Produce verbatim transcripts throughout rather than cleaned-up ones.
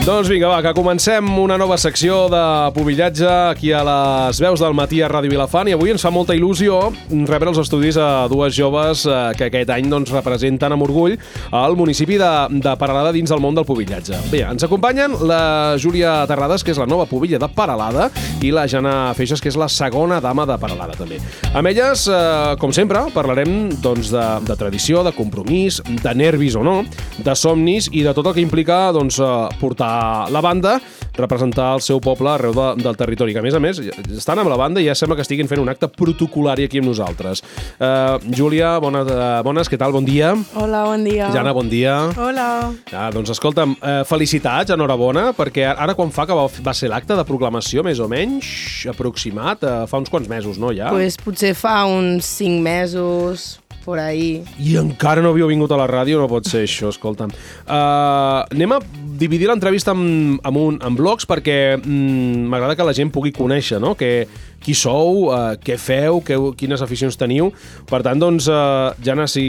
Doncs vinga, va, que comencem una nova secció de pubillatge aquí a les veus del matí a Ràdio Vilafant, i avui ens fa molta il·lusió rebre els estudis a dues joves eh, que aquest any doncs, representen amb orgull el municipi de, de Peralada dins del món del pubillatge. Bé, ens acompanyen la Júlia Terrades, que és la nova pubilla de Peralada, i la Jana Feixas, que és la segona dama de Peralada, també. Amb elles, eh, com sempre, parlarem doncs, de, de tradició, de compromís, de nervis o no, de somnis i de tot el que implica doncs, portar la banda, representar el seu poble arreu de, del territori, que a més a més estan amb la banda i ja sembla que estiguin fent un acte protocolari aquí amb nosaltres. Uh, Júlia, bona, uh, bones, què tal? Bon dia. Hola, bon dia. Jana, bon dia. Hola. Ah, doncs escolta'm, uh, felicitats, enhorabona, perquè ara quan fa que va, va ser l'acte de proclamació, més o menys, aproximat, uh, fa uns quants mesos, no, ja? Pues potser fa uns cinc mesos, por ahí. I encara no havíeu vingut a la ràdio, no pot ser això, escolta'm. Uh, anem a dividir l'entrevista en, en, un, en blocs perquè mm, m'agrada que la gent pugui conèixer, no? Que, qui sou, uh, què feu, que, quines aficions teniu. Per tant, doncs, uh, Jana, si,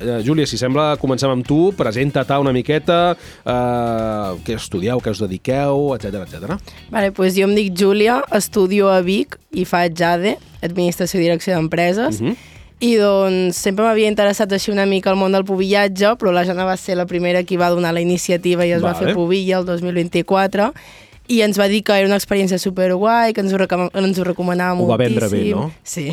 uh, Júlia, si sembla, comencem amb tu, presenta-te una miqueta, uh, què estudieu, què us dediqueu, etcètera, etcètera. Vale, pues jo em dic Júlia, estudio a Vic i faig A D E, Administració i Direcció d'Empreses, uh-huh. I doncs sempre m'havia interessat així una mica el món del pubillatge, però la Jana va ser la primera qui va donar la iniciativa i es vale. va fer pubilla el dos mil vint-i-quatre, i ens va dir que era una experiència superguai, que ens ho, recom ens ho recomanava moltíssim. Ho va vendre bé, no? Sí.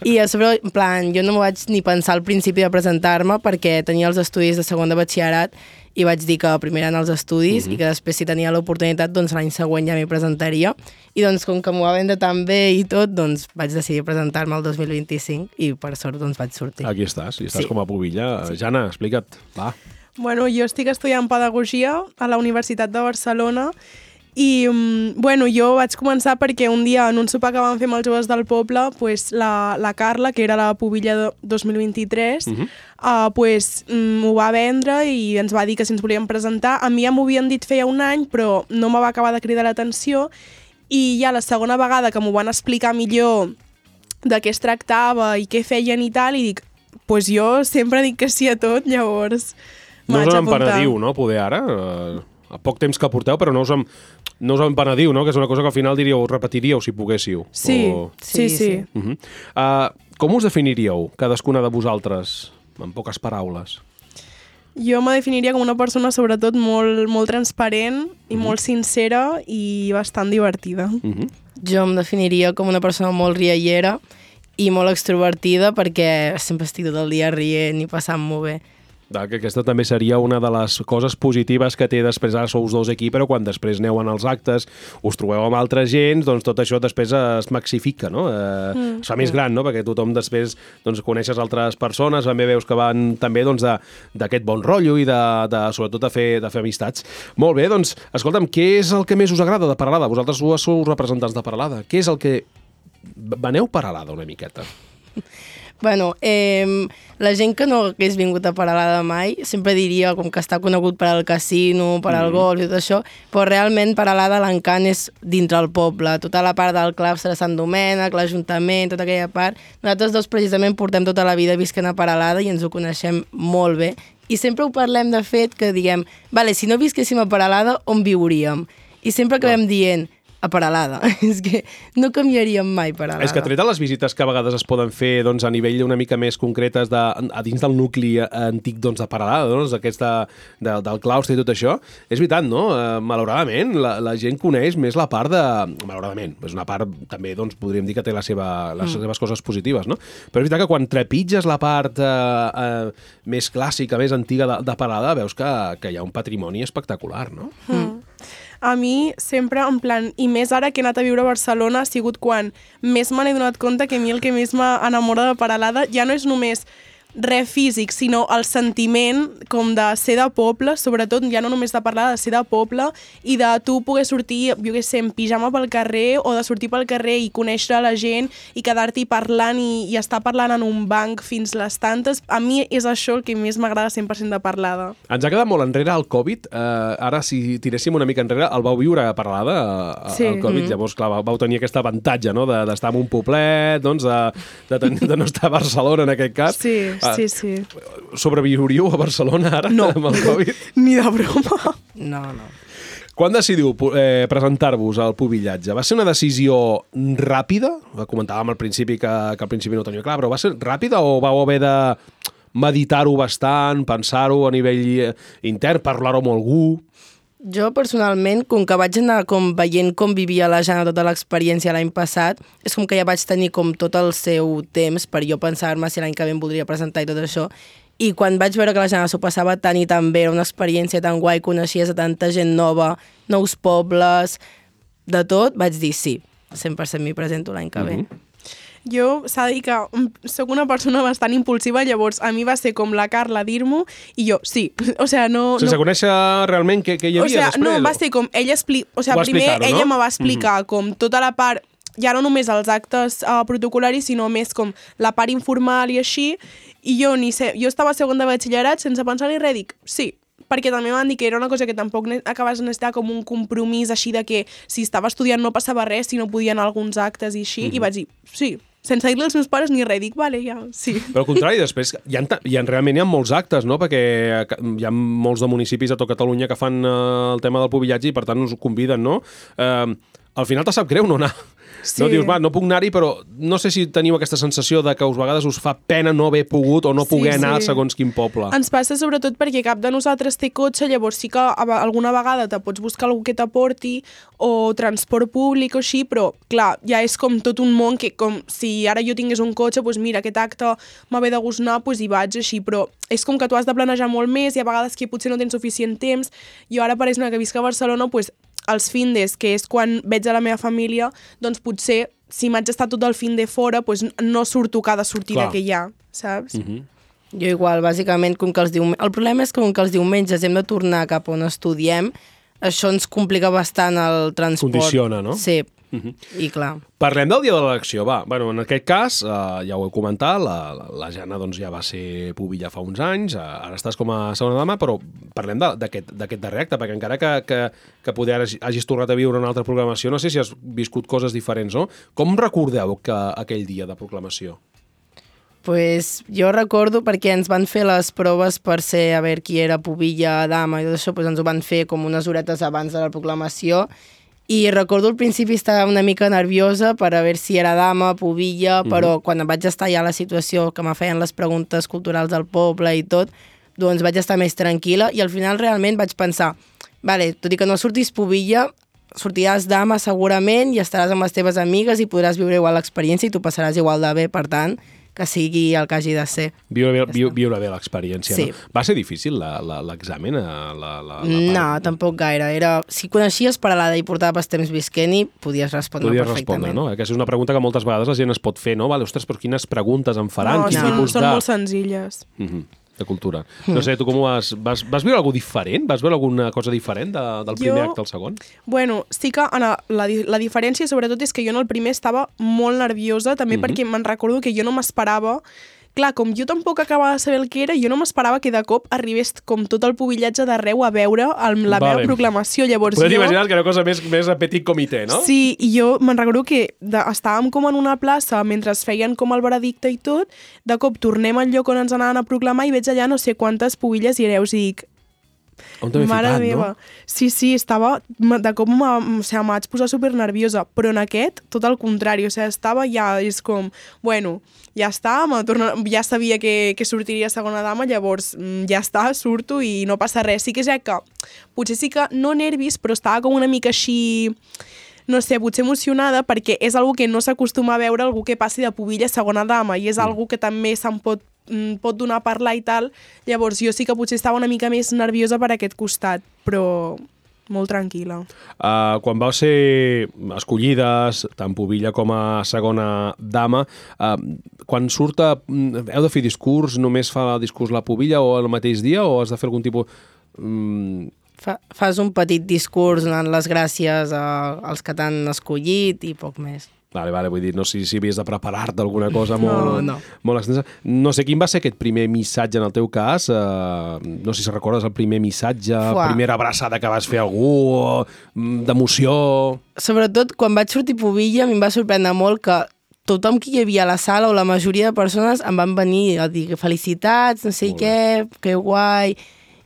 I a sobre, en plan, jo no m'ho vaig ni pensar al principi de presentar-me perquè tenia els estudis de segon de batxillerat i vaig dir que primer eren els estudis uh-huh. i que després, si tenia l'oportunitat, doncs l'any següent ja m'hi presentaria. I doncs, com que m'ho va vendre tan bé i tot, doncs vaig decidir presentar-me el dos mil vint-i-cinc i per sort doncs vaig sortir. Aquí estàs, i estàs sí. com a pubilla. Sí. Jana, explica't, va. Bueno, jo estic estudiant Pedagogia a la Universitat de Barcelona i, bueno, jo vaig començar perquè un dia en un sopar que vam fer amb els joves del poble, pues, la, la Carla, que era la pubilla de dos mil vint-i-tres, uh-huh. uh, pues, m'ho va vendre i ens va dir que si ens volíem presentar. A mi ja m'ho havien dit feia un any, però no me va acabar de cridar l'atenció, i ja la segona vegada que m'ho van explicar millor de què es tractava i què feien i tal, i dic, pues jo sempre dic que sí a tot, llavors no us en penediu, no, poder ara? Uh, a poc temps que porteu, però no us en, no us en penediu, no? Que és una cosa que al final diríeu, repetiríeu si poguéssiu. Sí, o... sí, sí. sí. Uh-huh. uh, com us definiríeu, cadascuna de vosaltres, en poques paraules? Jo me definiria com una persona sobretot molt, molt transparent i uh-huh. molt sincera i bastant divertida. Uh-huh. Jo em definiria com una persona molt riallera i molt extrovertida perquè sempre estic tot el dia rient i passant-m'ho bé. Que aquesta també seria una de les coses positives que té després, ara sou dos aquí, però quan després aneu en els actes, us trobeu amb altra gent, doncs tot això després es maxifica, no? Eh, mm. Es fa més gran, no? Perquè tothom després doncs, coneixes altres persones, també veus que van també doncs, d'aquest bon rotllo i de, de, sobretot de fer, de fer amistats. Molt bé, doncs, escolta'm, què és el que més us agrada de Peralada? Vosaltres sou representants de Peralada. Què és el que... Veneu Peralada una miqueta? Bueno, eh, la gent que no hagués vingut a Peralada mai sempre diria com que està conegut per al casino, per al mm. golf i tot això, però realment Peralada l'encant és dintre el poble, tota la part del claustre de Sant Domènec, l'Ajuntament, tota aquella part. Nosaltres dos precisament portem tota la vida visquent a Peralada i ens ho coneixem molt bé. I sempre ho parlem de fet que diguem, vale, si no visquéssim a Peralada, on viuríem? I sempre acabem dient, a Peralada. És que no canviaríem mai Peralada. És que tret de les visites que a vegades es poden fer doncs, a nivell una mica més concretes de, a dins del nucli antic doncs, de Peralada, doncs, aquesta, de, del claustre i tot això, és veritat, no? Uh, malauradament, la, la gent coneix més la part de... Malauradament, és una part també, doncs, podríem dir que té la seva, les mm. seves coses positives, no? Però és veritat que quan trepitges la part uh, uh, més clàssica, més antiga de, de Peralada, veus que, que hi ha un patrimoni espectacular, no? Mm. A mi sempre, en plan, i més ara que he anat a viure a Barcelona, ha sigut quan més me n'he donat compte que a mi el que més m'enamora de Peralada ja no és només res físic, sinó el sentiment com de ser de poble, sobretot ja no només de parlar, de ser de poble i de tu poder sortir, jo què sé, en pijama pel carrer o de sortir pel carrer i conèixer la gent i quedar-t'hi parlant i, i estar parlant en un banc fins les tantes. A mi és això el que més m'agrada cent per cent de Peralada. Ens ha quedat molt enrere el Covid. Uh, ara, si tiréssim una mica enrere, el vau viure a Peralada, uh, sí. el Covid. Mm. Llavors, clar, vau tenir aquest avantatge, no?, d'estar de, en un poblet, doncs, de, de, de, de no estar a Barcelona, en aquest cas. Sí. Sí, sí. Sobreviuríeu a Barcelona ara no. amb el Covid? Ni de broma. No, no. Quan decidiu eh, presentar-vos al pubillatge? Va ser una decisió ràpida? Comentàvem al principi que, que al principi no tenia clar, però va ser ràpida o vau haver de meditar-ho bastant, pensar-ho a nivell intern, parlar-ho amb algú? Jo, personalment, com que vaig anar com veient com vivia la Jana tota l'experiència l'any passat, és com que ja vaig tenir com tot el seu temps per jo pensar-me si l'any que ve em voldria presentar i tot això. I quan vaig veure que la Jana s'ho passava tant i tan bé, era una experiència tan guai, coneixies a tanta gent nova, nous pobles, de tot, vaig dir sí, cent per cent m'hi presento l'any que ve. Mm-hmm. Jo s'ha de dir que sóc una persona bastant impulsiva, llavors a mi va ser com la Carla dir-m'ho i jo, sí. O sea, no, Sense no... conèixer realment què, què hi havia o sea, després? No, va ser com ella explica... O sea, primer no? ella me va explicar mm-hmm. com tota la part, ja no només els actes uh, protocolaris, sinó més com la part informal i així, i jo ni sé, jo estava a segon de batxillerat sense pensar ni res, dic, sí, perquè també m'han dit que era una cosa que tampoc acabes de necessitar com un compromís així de que si estava estudiant no passava res, si no podia anar a alguns actes i així, mm-hmm. i vaig dir, sí, sense dir-li als meus pares ni res, dic, vale, ja, sí. Però al contrari, després, hi ha, hi ha, realment hi ha molts actes, no?, perquè hi ha molts de municipis a tot Catalunya que fan eh, el tema del pubillatge i per tant us conviden, no? Eh, al final te sap greu no anar. Sí. No dius, va, no puc anar-hi, però no sé si teniu aquesta sensació de que a vegades us fa pena no haver pogut o no poder sí, anar sí. segons quin poble. Ens passa sobretot perquè cap de nosaltres té cotxe, llavors sí que alguna vegada te pots buscar algú que t'aporti o transport públic o així, però clar, ja és com tot un món que com si ara jo tingués un cotxe, doncs mira, aquest acte m'ha de gust anar, doncs hi vaig així, però és com que tu has de planejar molt més i a vegades que potser no tens suficient temps. Jo ara, per exemple, que visc a Barcelona, doncs els findes, que és quan veig a la meva família, doncs potser, si m'haig d'estar tot el finde fora, doncs no surto cada sortida Clar. que hi ha, saps? Mm-hmm. Jo igual, bàsicament, com que els diumenges... El problema és que com que els diumenges hem de tornar cap on estudiem, això ens complica bastant el transport. Condiciona, no? Sí, mm-hmm. i clar. Parlem del dia de l'elecció, va. Bueno, en aquest cas, eh, ja ho he comentat, la, la, la Jana doncs, ja va ser pubilla fa uns anys, eh, ara estàs com a segona dama, però parlem d'aquest darrer acte, perquè encara que, que, que poder hagis tornat a viure una altra proclamació, no sé si has viscut coses diferents, no? Com recordeu que aquell dia de proclamació? Pues jo recordo perquè ens van fer les proves per ser a veure qui era pubilla, dama i tot això, pues ens ho van fer com unes horetes abans de la proclamació i recordo al principi estava una mica nerviosa per a veure si era dama, pubilla, mm-hmm. però quan vaig estar ja a la situació que me feien les preguntes culturals del poble i tot, doncs vaig estar més tranquil·la i al final realment vaig pensar, vale, tot i que no surtis pubilla, sortiràs dama segurament i estaràs amb les teves amigues i podràs viure igual l'experiència i tu passaràs igual de bé, per tant, que sigui el que hagi de ser. Viure, vi, viure bé l'experiència, sí. no? Va ser difícil l'examen? La, la, la, la no, tampoc gaire. Era, si coneixies Peralada i portaves temps visquent-hi, podies respondre podies perfectament. Respondre, no? Aquesta és una pregunta que moltes vegades la gent es pot fer, no? Vale, ostres, però quines preguntes em faran? No, Quin són, tipus són de... molt senzilles. Mm-hmm. De cultura. No sé, tu com ho vas... Vas, vas viure alguna diferent? Vas veure alguna cosa diferent de, del primer jo, acte al segon? Bueno, sí que en la, la, la diferència sobretot és que jo en el primer estava molt nerviosa, també mm-hmm. perquè me'n recordo que jo no m'esperava. Clar, com jo tampoc acabava de saber el que era, jo no m'esperava que de cop arribés com tot el pubillatge d'arreu a veure el, la vale. meva proclamació. Llavors Podem jo... imaginar que era una cosa més, més a petit comitè, no? Sí, i jo me'n recordo que de, estàvem com en una plaça mentre feien com el veredicte i tot, de cop tornem al lloc on ens anaven a proclamar i veig allà no sé quantes pubilles i hereus i dic, on t'he ficat, meva. No? Sí, sí, estava... De cop o sigui, em vaig posar super nerviosa, però en aquest, tot el contrari, o sigui, estava ja, és com, bueno, ja està, torno, ja sabia que, que sortiria segona dama, llavors ja està, surto i no passa res. Sí que és que, potser sí que no nervis, però estava com una mica així... no sé, potser emocionada, perquè és algo que no s'acostuma a veure algú que passi de pubilla a segona dama, i és mm. algo que també se'n pot pot donar a parlar i tal, llavors jo sí que potser estava una mica més nerviosa per aquest costat, però molt tranquil·la. Uh, quan vau ser escollides, tant pubilla com a segona dama, uh, quan surt a... heu de fer discurs, només fa el discurs la pubilla o el mateix dia, o has de fer algun tipus... Um... Fa, fas un petit discurs donant les gràcies a, als que t'han escollit i poc més. Vale, vale, vull dir, no sé si havies de preparar-te alguna cosa molt, no, no. molt extensa. No sé, quin va ser aquest primer missatge en el teu cas? Uh, no sé si recordes el primer missatge, Fuà. primera abraçada que vas fer a algú, d'emoció... Sobretot, quan vaig sortir pubilla, a mi em va sorprendre molt que tothom que hi havia a la sala o la majoria de persones em van venir a dir felicitats, no sé què, que guai...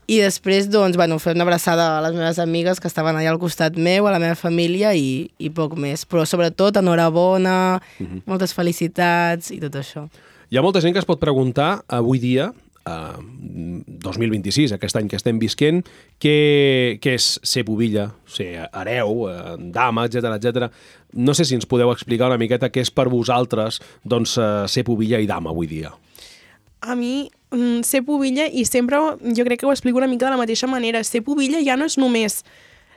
I després, doncs, bueno, fer una abraçada a les meves amigues que estaven allà al costat meu, a la meva família i, i poc més. Però sobretot, enhorabona, uh-huh. moltes felicitats i tot això. Hi ha molta gent que es pot preguntar avui dia, Uh, dos mil vint-i-sis, aquest any que estem visquent, què, què és ser pubilla, ser hereu, uh, dama, etcètera, etcètera. No sé si ens podeu explicar una miqueta què és per vosaltres doncs, uh, ser pubilla i dama avui dia. A mi, ser pubilla, i sempre jo crec que ho explico una mica de la mateixa manera, ser pubilla ja no és només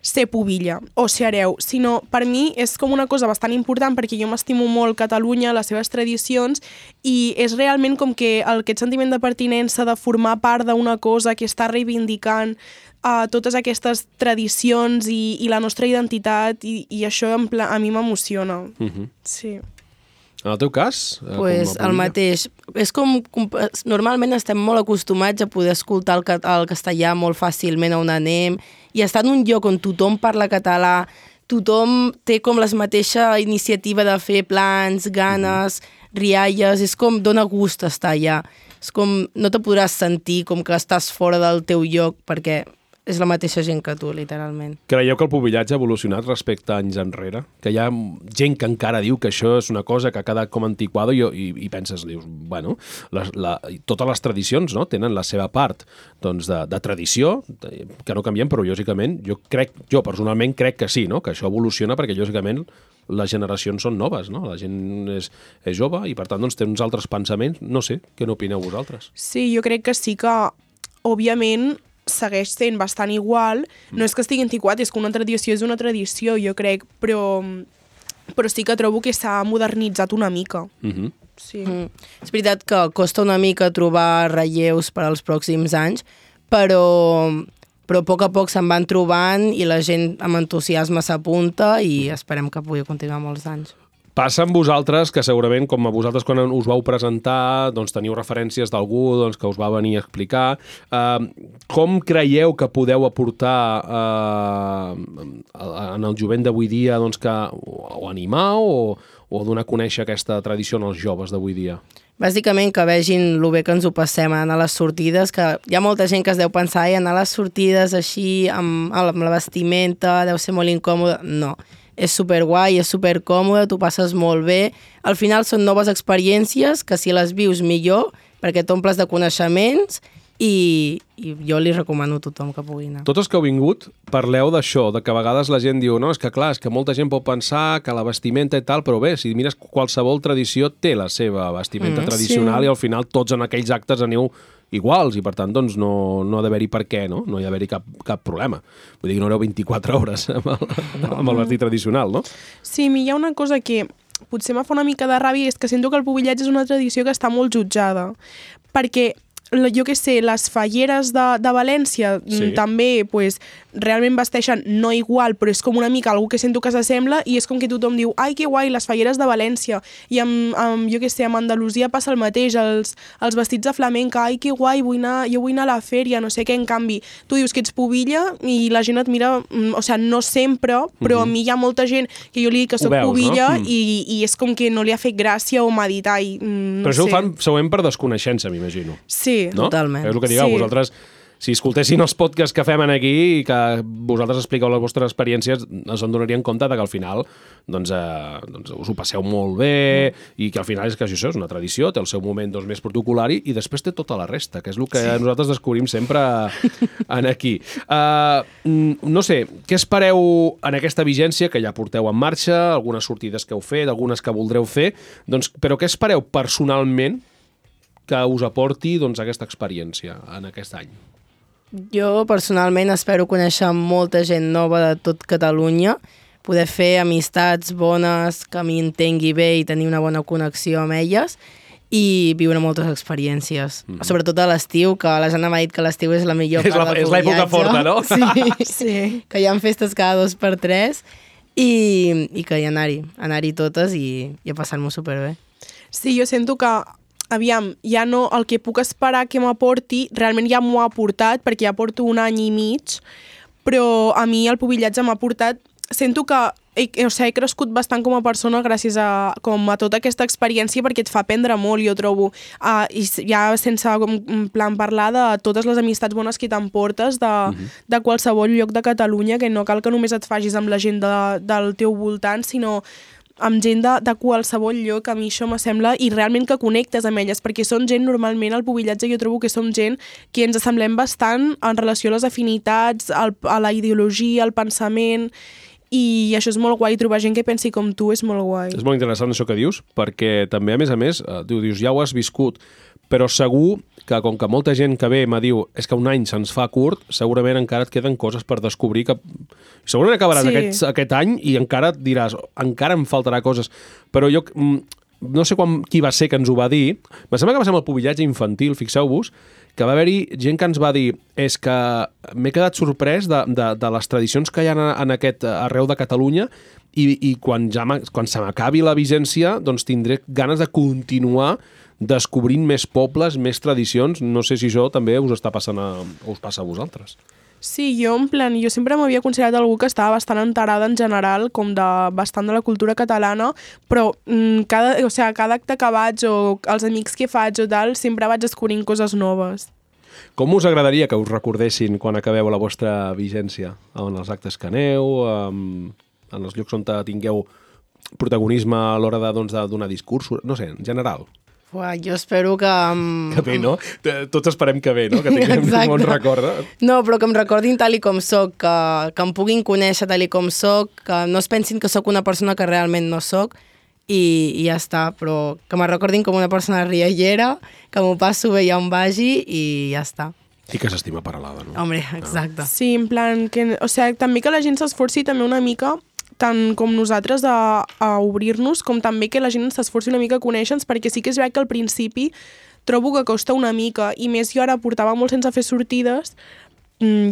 ser pubilla o ser hereu, sinó per mi és com una cosa bastant important perquè jo m'estimo molt Catalunya, les seves tradicions, i és realment com que aquest sentiment de pertinença, de formar part d'una cosa que està reivindicant uh, totes aquestes tradicions i, i la nostra identitat, i, i això en pla, a mi m'emociona. Uh-huh. Sí. En el teu cas? Pues el mateix. És com, com... Normalment estem molt acostumats a poder escoltar el, el castellà molt fàcilment on anem, i estar en un lloc on tothom parla català, tothom té com la mateixa iniciativa de fer plans, ganes, rialles, és com dona gust estar allà. És com no te podràs sentir com que estàs fora del teu lloc perquè és la mateixa gent que tu, literalment. Creieu que el pubillatge ha evolucionat respecte a anys enrere? Que hi ha gent que encara diu que això és una cosa que ha quedat com antiquada i, i, i penses, dius, bueno, les, la, totes les tradicions, no?, tenen la seva part doncs, de, de tradició, de, que no canviem, però lògicament jo crec, jo personalment crec que sí, no?, que això evoluciona perquè lògicament les generacions són noves, no? La gent és, és jove i per tant doncs, té uns altres pensaments. No sé, què n'opineu vosaltres? Sí, jo crec que sí que, òbviament, segueix sent bastant igual. No és que estigui antiquat, és que una tradició és una tradició, jo crec, però, però sí que trobo que s'ha modernitzat una mica. Uh-huh. Sí. Mm. És veritat que costa una mica trobar relleus per als pròxims anys, però, però a poc a poc se'n van trobant i la gent amb entusiasme s'apunta i esperem que pugui continuar molts anys. Passa amb vosaltres, que segurament, com a vosaltres quan us vau presentar, doncs teniu referències d'algú doncs, que us va venir a explicar. Uh, com creieu que podeu aportar uh, en el jovent d'avui dia doncs, que o animar o, o donar a conèixer aquesta tradició als joves d'avui dia? Bàsicament que vegin el bé que ens ho passem anar a les sortides, que hi ha molta gent que es deu pensar i anar a les sortides així amb, amb la vestimenta deu ser molt incòmode. No. És superguai, és supercòmode, tu passes molt bé. Al final són noves experiències que si les vius millor, perquè t'omples de coneixements i, i jo li recomano a tothom que pugui anar. Tots els que heu vingut parleu d'això, de que a vegades la gent diu no, és que clar, és que molta gent pot pensar que la vestimenta i tal, però bé, si mires qualsevol tradició té la seva vestimenta mm, tradicional sí. I al final tots en aquells actes aneu iguals i per tant doncs, no, no ha d'haver-hi per què, no? No hi ha d'haver-hi cap, cap problema. Vull dir que no aneu vint-i-quatre hores amb el, amb el vestit tradicional, no? Sí, a mi hi ha una cosa que potser me fa una mica de ràbia, és que sento que el pubillatge és una tradició que està molt jutjada, perquè jo què sé, les falleres de, de València sí. també pues, realment vesteixen no igual, però és com una mica algú que sento que s'assembla i és com que tothom diu ai, que guai, les falleres de València. I amb, amb jo què sé, amb Andalusia passa el mateix, els, els vestits de flamenca, ai, que guai, vull anar, jo vull anar a la fèria, no sé què, en canvi, tu dius que ets pubilla i la gent et mira, o sigui, no sempre, però uh-huh. a mi hi ha molta gent que jo li dic que soc veus, pubilla no? i, i és com que no li ha fet gràcia o m'ha dit, ai, no però això sé. Ho fan segurament per desconeixença, m'imagino. Sí. No? Totalment. És el que digueu, sí. Vosaltres, si escoltessin els podcasts que fem aquí i que vosaltres expliqueu les vostres experiències, ens en donarien compte de que al final doncs, eh, doncs us ho passeu molt bé mm. i que al final és que això és una tradició, té el seu moment doncs, més protocolari i després té tota la resta, que és el que sí. nosaltres descobrim sempre en aquí. Uh, no sé, què espereu en aquesta vigència que ja porteu en marxa, algunes sortides que heu fet, algunes que voldreu fer, doncs, però què espereu personalment que us aporti doncs, aquesta experiència en aquest any? Jo personalment espero conèixer molta gent nova de tot Catalunya, poder fer amistats bones, que m'entengui bé i tenir una bona connexió amb elles i viure moltes experiències. Mm-hmm. Sobretot a l'estiu, que la Jana m'ha dit que l'estiu és la millor és part la, del és l'època forta, no? Sí, sí, que hi ha festes cada dos per tres i, i que hi anar-hi, anar-hi totes i, i a passar-m'ho superbé. Sí, jo sento que aviam, ja no, el que puc esperar que m'aporti, realment ja m'ho ha aportat, perquè ja porto un any i mig, però a mi el pubillatge m'ha aportat sento que he, o sigui, he crescut bastant com a persona gràcies a, com a tota aquesta experiència perquè et fa aprendre molt, jo trobo. Uh, I ja sense com, en plan parlar de totes les amistats bones que t'emportes de, uh-huh. de qualsevol lloc de Catalunya, que no cal que només et facis amb la gent de, del teu voltant, sinó amb gent de, de qualsevol lloc. A mi això me sembla, i realment que connectes amb elles, perquè són gent, normalment al pubillatge jo trobo que som gent que ens assemblem bastant en relació a les afinitats, al, a la ideologia, al pensament, i això és molt guai, trobar gent que pensi com tu és molt guai. És molt interessant això que dius, perquè també, a més a més, tu dius, ja ho has viscut, però segur que com que molta gent que ve me diu és que un any se'ns fa curt, segurament encara et queden coses per descobrir que segurament acabaràs sí. aquest, aquest any i encara et diràs, encara em faltarà coses, però jo no sé quan, qui va ser que ens ho va dir, em sembla que va ser amb el pubillatge infantil, fixeu-vos, que va haver-hi gent que ens va dir és que m'he quedat sorprès de, de, de les tradicions que hi ha en aquest arreu de Catalunya i, i quan, ja quan se m'acabi la vigència doncs tindré ganes de continuar descobrint més pobles, més tradicions. No sé si això també us està passant a, o us passa a vosaltres. Sí, jo en plan, jo sempre m'havia considerat algú que estava bastant enterada en general, com de bastant de la cultura catalana, però mm, cada, o sigui, cada acte que vaig o els amics que faig o tal, sempre vaig descobrint coses noves. Com us agradaria que us recordessin quan acabeu la vostra vigència? En els actes que aneu, en els llocs on tingueu protagonisme a l'hora de, doncs, de donar discursos, no sé, en general. Uah, jo espero que... Um, que bé, no? Tots esperem que bé, no? Que tinguem un bon record. No, però que em recordin tal i com soc, que, que em puguin conèixer tal i com soc, que no es pensin que sóc una persona que realment no soc, i, i ja està, però que me recordin com una persona riallera, que m'ho passo bé ja on vagi, i ja està. I que s'estima Peralada, no? Home, exacte. Sí, en plan, que, o sigui, també que la gent s'esforci també una mica tant com nosaltres a, a obrir-nos, com també que la gent s'esforci una mica a conèixer-nos, perquè sí que és veritat que al principi trobo que costa una mica, i més jo ara portava molt sense fer sortides,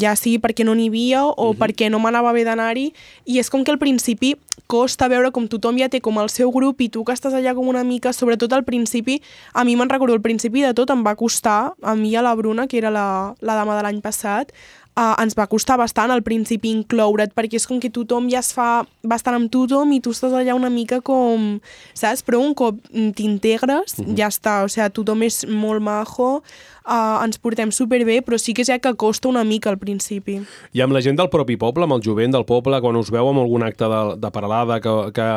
ja sigui perquè no n'hi havia o uh-huh. perquè no m'anava bé d'anar-hi, i és com que al principi costa veure com tothom ja té com el seu grup i tu que estàs allà com una mica, sobretot al principi, a mi me'n recordo, al principi de tot em va costar, a mi i a la Bruna, que era la, la dama de l'any passat, Uh, ens va costar bastant al principi incloure't, perquè és com que tothom ja es fa bastant amb tothom i tu estàs allà una mica com, saps? Però un cop t'integres, uh-huh. ja està, o sigui, tothom és molt majo, uh, ens portem superbé, però sí que és ja que costa una mica al principi. I amb la gent del propi poble, amb el jovent del poble, quan us veu amb algun acte de, de Peralada que, que,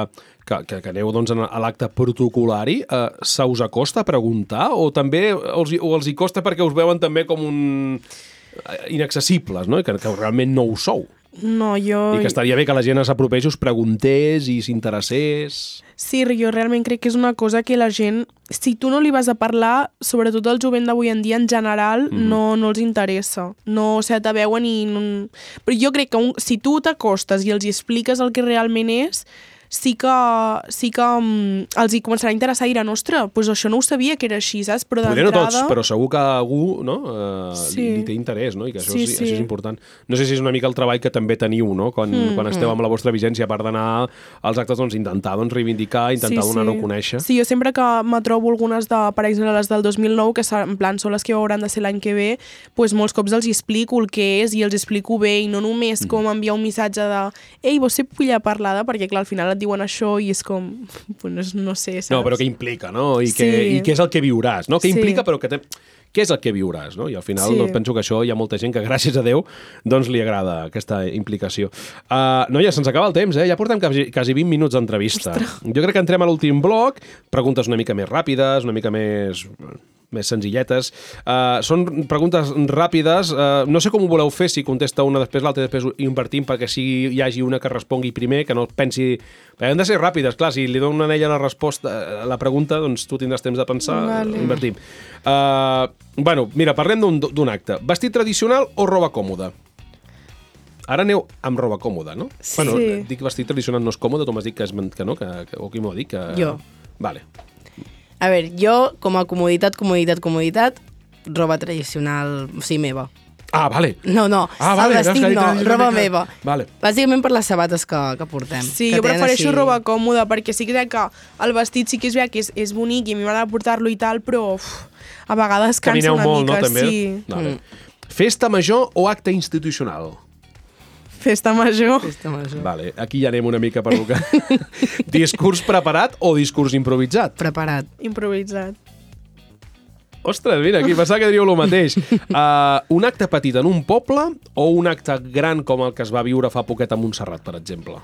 que, que, que aneu doncs, a l'acte protocolari, uh, se us acosta a preguntar o també els, o els hi costa perquè us veuen també com un... inaccessibles, no? Que, que realment no ho sou. No, jo... I que estaria bé que la gent s'apropés, us preguntés i s'interessés. Sí, jo realment crec que és una cosa que la gent, si tu no li vas a parlar, sobretot el jovent d'avui en dia en general, mm. no, no els interessa. No, o sigui, te veuen i... No... Però jo crec que un, si tu t'acostes i els hi expliques el que realment és, sí que, sí que um, els hi començarà a interessar i dirà, ostres, doncs això no ho sabia que era així, saps? Però d'entrada... Potser no tots, però segur que algú no, uh, sí. li, li té interès, no? I que això, sí, sí, sí. això és important. No sé si és una mica el treball que també teniu, no? Quan, mm, quan esteu amb la vostra vigència, a part d'anar als actes, doncs, intentar doncs, reivindicar, intentar sí, donar-ho sí. a conèixer. Sí, jo sempre que me trobo algunes, de, per exemple, les del dos mil nou, que en plan són les que hauran de ser l'any que ve, doncs molts cops els explico el que és i els explico bé, i no només mm. com enviar un missatge de ei, vos sé pulla Peralada, perquè clar, al final et diuen això i és com, pues, no sé, saps? No, però què implica, no? I, que, sí. i què és el que viuràs, no? Què sí. implica, però que te... què és el que viuràs, no? I al final sí. doncs, penso que això hi ha molta gent que, gràcies a Déu, doncs li agrada aquesta implicació. Uh, noia, se'ns acaba el temps, eh? Ja portem quasi, quasi vint minuts d'entrevista. Jo crec que entrem a l'últim bloc, preguntes una mica més ràpides, una mica més... més senzilletes. Uh, són preguntes ràpides. Uh, no sé com ho voleu fer, si contesta una després l'altra, després invertim perquè si hi hagi una que respongui primer, que no pensi... Han de ser ràpides, clar, si li dono a ella la resposta, la pregunta, doncs tu tindràs temps de pensar, vale. Invertim. Uh, bueno, mira, parlem d'un acte. Vestit tradicional o roba còmoda? Ara aneu amb roba còmoda, no? Sí. Bueno, dic vestit tradicional no és còmode, tu m'has dit que, és, que no, que, que, o qui m'ho ha dit? Que... Jo. Vale. A veure, jo, com a comoditat, comoditat, comoditat, roba tradicional, o sigui, meva. Ah, vale. No, no, ah, vale, el vestit no, roba que... meva. Vale. Bàsicament per les sabates que, que portem. Sí, que jo prefereixo així... roba còmoda, perquè sí que és que el vestit sí que és que és, és bonic i a mi m'agrada portar-lo i tal, però uf, a vegades cansa Camineu una molt, mica. No, també? Sí. Vale. Mm. Festa major o acte institucional? Festa major. Festa major. Vale, aquí ja anem una mica per boca. Discurs preparat o discurs improvisat? Preparat. Improvisat. Ostres, mira, aquí pensava que diríeu el mateix. Uh, un acte petit en un poble o un acte gran com el que es va viure fa poquet a Montserrat, per exemple?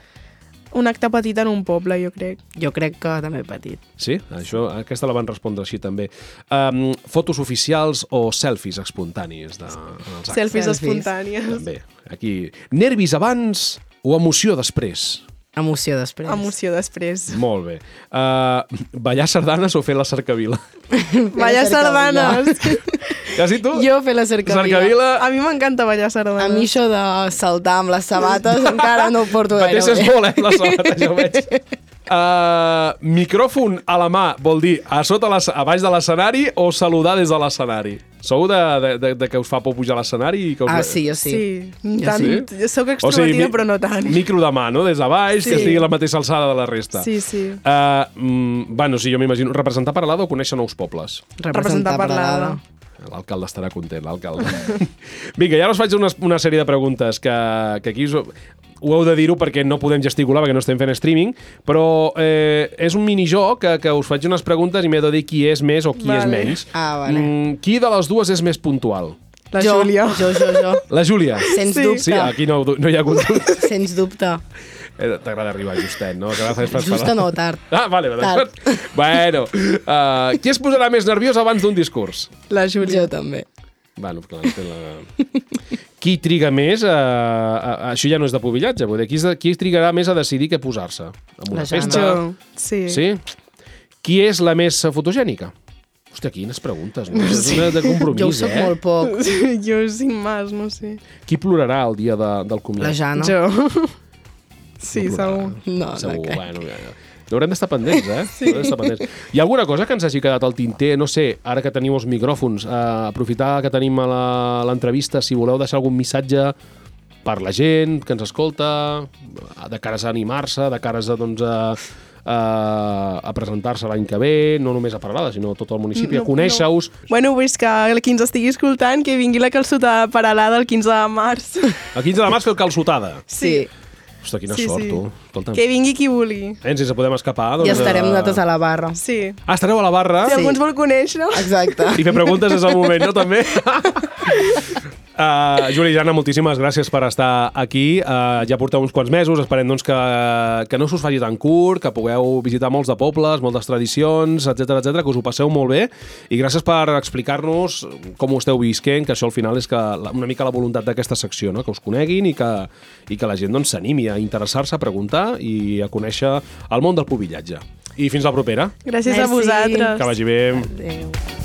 Un acte petit en un poble, jo crec. Jo crec que també petit. Sí? Això, aquesta la van respondre així també. Um, fotos oficials o selfies espontanis? De, en els actes? Selfies Selfies. espontànies. També. Aquí, nervis abans o emoció després? Emoció després. Emoció després. Molt bé. Uh, ballar sardanes o fer la cercavila? Ballar sardanes. Quasi tu? Jo fer la cercavila. Cercavila. A mi m'encanta ballar sardanes. A mi això de saltar amb les sabates encara no ho porto gaire Pateixes bé. molt, eh, la sabata, ja ho veig. Uh, micròfon a la mà vol dir a sota les, a baix de l'escenari o saludar des de l'escenari? Sou de, de, de, de que us fa por pujar a l'escenari? I que us... Ah, sí, jo sí. Sí, Jo tant, sí? jo soc extrovertida, mi- però no tant. Micro de mà, no? Des de baix, Sí. que estigui a la mateixa alçada de la resta. Sí, sí. Uh, mm, bueno, sí, jo m'imagino. Representar Peralada o conèixer nous pobles? Representar Peralada. L'alcalde estarà content, l'alcalde. Vinga, ja us faig una, una sèrie de preguntes que, que aquí us, ho heu de dir-ho perquè no podem gesticular, perquè no estem fent streaming, però eh, és un minijoc que, que us faig unes preguntes i m'he de dir qui és més o qui Vale. és menys. Ah, vale. Mm, qui de les dues és més puntual? La jo, Júlia. Jo, jo, jo. La Júlia? Sens Sí. dubte. Sí, aquí no, no hi ha hagut... Sens dubte. Eh, T'agrada arribar justet, no? Que fas pas Justa no, tard. Ah, vale, d'acord. Bueno, uh, qui es posarà més nerviós abans d'un discurs? La Júlia. Jo també. Bueno, clar, té la... Qui triga més a, a, a... Això ja no és de pubillatge, vull dir, qui, és de, qui trigarà més a decidir què posar-se? En una La Jana. festa? Jo, sí. Sí? Qui és la més fotogènica? Hòstia, quines preguntes, no? És una de compromís, Jo ho soc eh? molt poc. Jo cinc más, no sé. Qui plorarà el dia de, del comiat? La Jana. Jo. Sí, No segur. plorarà. No, no Segur, crec. bueno, ja, ja. Haurem d'estar pendents, eh? Sí. Haurem d'estar pendents. Hi ha alguna cosa que ens hagi quedat al tinter? No sé, ara que teniu els micròfons, eh, aprofitar que tenim a la- l'entrevista, si voleu deixar algun missatge per la gent que ens escolta, de cares a animar-se, de cares a, doncs, a, a, a presentar-se l'any que ve, no només a Peralada, sinó a tot el municipi, No, a conèixer-us. Bueno, pues que el qui ens estigui escoltant, que vingui la calçotada de Peralada el quinze de març. El quinze de març fer el calçotada. Sí. Ostres, quina Sí, sort, sí. tu. Escolta'm. Que vingui qui vulgui. Eh, si ens podem escapar, doncs... I estarem eh, nosaltres a la barra. Sí. Ah, estareu a la barra? Si Sí. algú ens vol conèixer... Exacte. I fer preguntes és el moment, no, també? Uh, Júlia i Jana, moltíssimes gràcies per estar aquí. Uh, ja porteu uns quants mesos, esperem doncs, que, que no s'us faci tan curt, que pugueu visitar molts de pobles, moltes tradicions, etcètera, etcètera, que us ho passeu molt bé. I gràcies per explicar-nos com ho esteu visquent, que això al final és que la, una mica la voluntat d'aquesta secció, no? Que us coneguin i que, i que la gent doncs, s'animi a interessar-se, a preguntar i a conèixer el món del pubillatge. I fins la propera. Gràcies a Merci. vosaltres. Que vagi bé. Adéu.